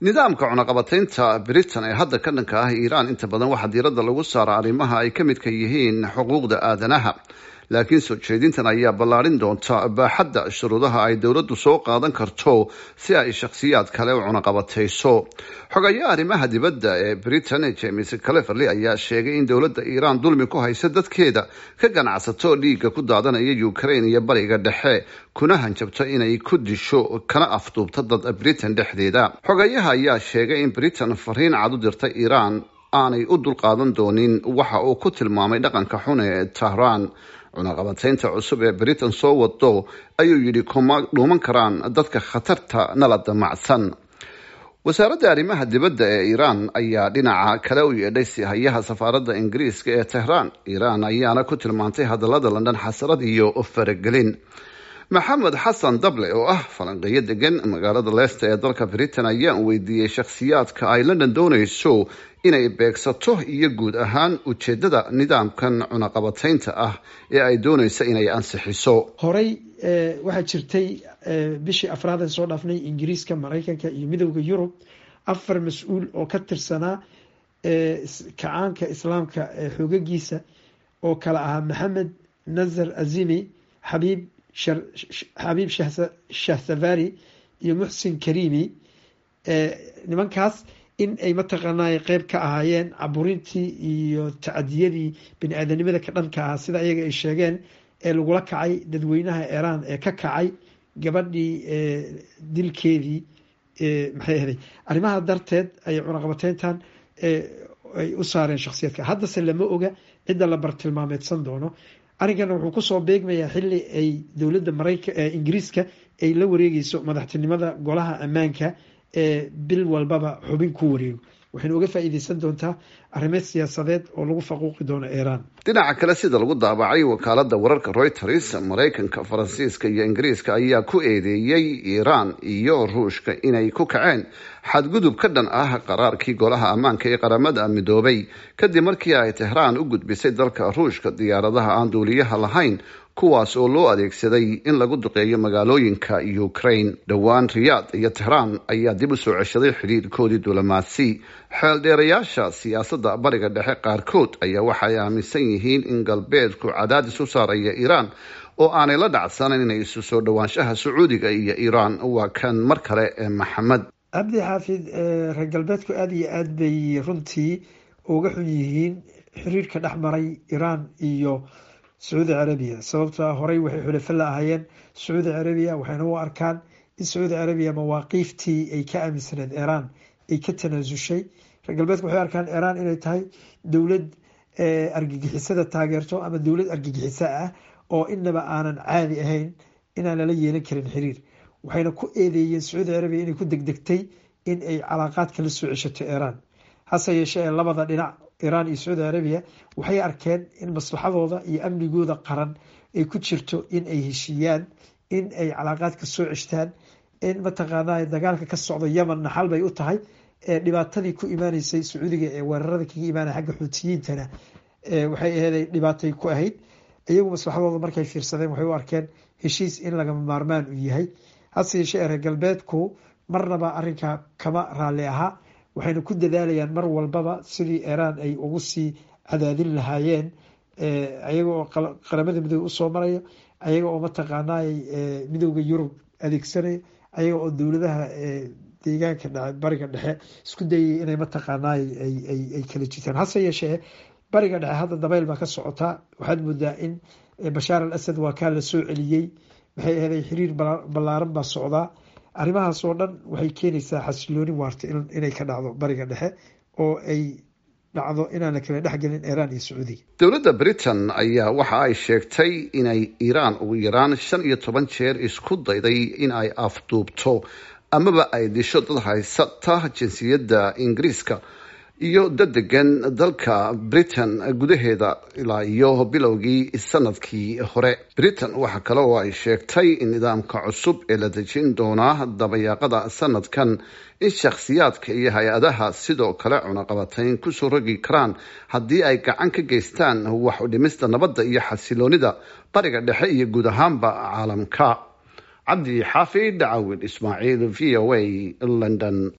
Nidaamka cunaqabataynta Britain ee hadda ka dhanka ah Iiraan inta badan waxaa diiradda lagu saara arrimaha ay ka midka yihiin xuquuqda aadanaha, laakiin soo jeedintan ayaa ballaarin doonta baaxadda shuruudaha ay dowladdu soo qaadan karto si ay shakhsiyaad kale u cunaqabatayso. Xogayaha arrimaha dibadda ee Britain, James Cleverly, ayaa sheegay in dowladda Iiraan dulmi ku haysa dadkeeda, ka ganacsato dhiigga ku daadanaya Ukraine iyo Bariga Dhexe, kuna hanjabto inay ku disho kana afduubto dad Britain dhexdeeda. Xogayaha ayaa sheegay in Britain fariin cad u dirtay Iiraan aanay u dulqaadan doonin waxa uu ku tilmaamay dhaqanka xun ee Tahraan. Cunaqabataynta cusub ee Britain soo wado, ayuu yidhi, kuma dhuuman karaan dadka khatarta nala damacsan. Wasaaradda arrimaha dibadda ee Iiraan ayaa dhinaca kale u yeedhay sihayaha safaaradda Ingiriiska ee Tehraan. Iiraan ayaana ku tilmaantay hadallada London xasarad iyo faragelin. Maxamed Xasan Dable oo ah falanqeeyo degan magaalada Leicester ee dalka Britain ayaan weydiiyey shakhsiyaadka ay London doonayso inay beegsato iyo guud ahaan ujeedada nidaamkan cunaqabataynta ah ee ay doonayso inay ansixiso. Horey waxaa jirtay bishii afraad ee soo dhaafnay Ingiriiska, Maraykanka iyo Midowda Yurub afar mas-uul oo ka tirsanaa kacaanka Islaamka xoogagiisa oo kala ahaa Maxamed Nazar Azimi, Xabiib Shahsavari iyo Muxsin Karimi. Nimankaas in ay mataqaanay qeyb ka ahaayeen caburintii iyo tacadiyadii bini aadanimada ka dhanka ah, sida iyaga ay sheegeen, ee lagula kacay dadweynaha Iiraan ee ka kacay gabadhii dilkeedii. Maxay ahaday, arrimaha darteed ay cunaqabateyntan ay u saareen shakhsiyaadka. Haddase lama oga cidda la bartilmaameedsan doono. Arrinkana wuxuu kusoo beegmayaa xilli ay dowladda Marayka Ingiriiska ay la wareegeyso madaxtinimada Golaha Ammaanka ee bil walbaba xubin ku wareego. Waxayna uga faa'iideysan doontaa arrimo siyaasadeed oo lagu faquuqi doono Iiraan. Dhinaca kale, sida lagu daabacay wakaalada wararka Reuters, Maraykanka, Faransiiska iyo Ingiriiska ayaa ku eedeeyey Iiraan iyo Ruushka inay ku kaceen xadgudub ka dhan ah qaraarkii Golaha Ammaanka ee Qaramada Midoobay, kadib markii ay Tehraan u gudbisay dalka Ruushka diyaaradaha aan duuliyaha lahayn, kuwaas oo loo adeegsaday in lagu duqeeyo magaalooyinka Ukraine. Dhowaan Riyaad iyo Tehraan ayaa dib u soo ceshaday xidhiirkoodii duulimaadsi. Xeeldheerayaasha siyaasadda Bariga Dhexe qaarkood ayaa waxay aaminsan yihiin in Galbeedku cadaadis u saaraya Iiraan oo aanay la dhacsanayn inay isu soo dhowaanshaha Sacuudiga iyo Iiraan. Waa kan mar kale ee Maxamed. Cabdi Xaafid, reer galbeedku aada iyo aad bay runtii uga xun yihiin xiriirka dhex maray Iiraan iyo Sacuudi Carabiya, sababtoa horey waxay xulafo la ahaayeen Sacuudi Carabiya, waxayna u arkaan in Sacuudi Carabiya mawaaqiiftii ay ka aaminsaneed Iiraan ay ka tanaasushay. Reer galbeedku waxay arkaan Iiraan inay tahay dowlad argagixisada taageerto ama dowlad argagixiso ah oo inaba aanan caadi ahayn, inaan lala yeelan karin xiriir. Waxayna ku eedeeyeen Sacuudi Carabiya inay ku degdegtay in ay calaaqaadka la soo ceshato Iiraan. Hase yeeshee ee labada dhinac, Iiraan iyo Sacuudi Carabiya, waxay arkeen in maslaxadooda iyo amnigooda qaran ay ku jirto in ay heshiiyaan, in ay calaaqaadka soo ceshtaan, in mataqaanaa dagaalka ka socda Yemen naxal bay u tahay dhibaatadii ku imaaneysay Sacuudiga ee weerarada kaga imaanaya xagga Xuutiyiintana. Waxay aheeday dhibaatay ku ahayd iyagu. Maslaxadooda markay fiirsadeen, waxay u arkeen heshiis in lagama maarmaan u yahay. Hase yeeshee reer galbeedku marnaba arrinkaa kama raalli ahaa, waxayna ku dadaalayaan mar walbaba sidii Iiraan ay ugu sii cadaadin lahaayeen, ayaga oo Qaramada Midoobe usoo marayo, ayaga oo mataqaanay Midowda Yurub adeegsanaya, ayaga oo dowladaha deegaanka Bariga Dhexe isku dayay inay mataqaanay ay kala jitaan. Hase yeeshee Bariga Dhexe hadda dabayl baa ka socotaa. Waxaad moodaa in Bashaar al Asad waa kaa la soo celiyey. Maxay aheeday, xiriir ballaaran baa socdaa. Arrimahaas oo dhan waxay keenaysaa xasilooni waarta inay ka dhacdo Bariga Dhexe oo ay dhacdo inaan la kala dhexgelin Iiraan iyo Sacuudiga. Dowladda Britain ayaa waxa ay sheegtay inay Iiraan ugu yaraan 15 jeer isku dayday in ay afduubto amaba ay disho dad haysata jinsiyadda Ingiriiska iyo dad degan dalka Britain gudaheeda ilaa iyo bilowgii sanadkii hore. Britain waxa kale oo ay sheegtay in nidaamka cusub ee la dejin doonaa dabayaaqada sanadkan in shakhsiyaadka iyo hay-adaha sidoo kale cunaqabatayn kusoo rogi karaan haddii ay gacan ka geystaan wax u dhimista nabadda iyo xasiloonida Bariga Dhexe iyo guud ahaanba caalamka. Cabdi Xaafid Cawil Ismaaciil, VOA, London.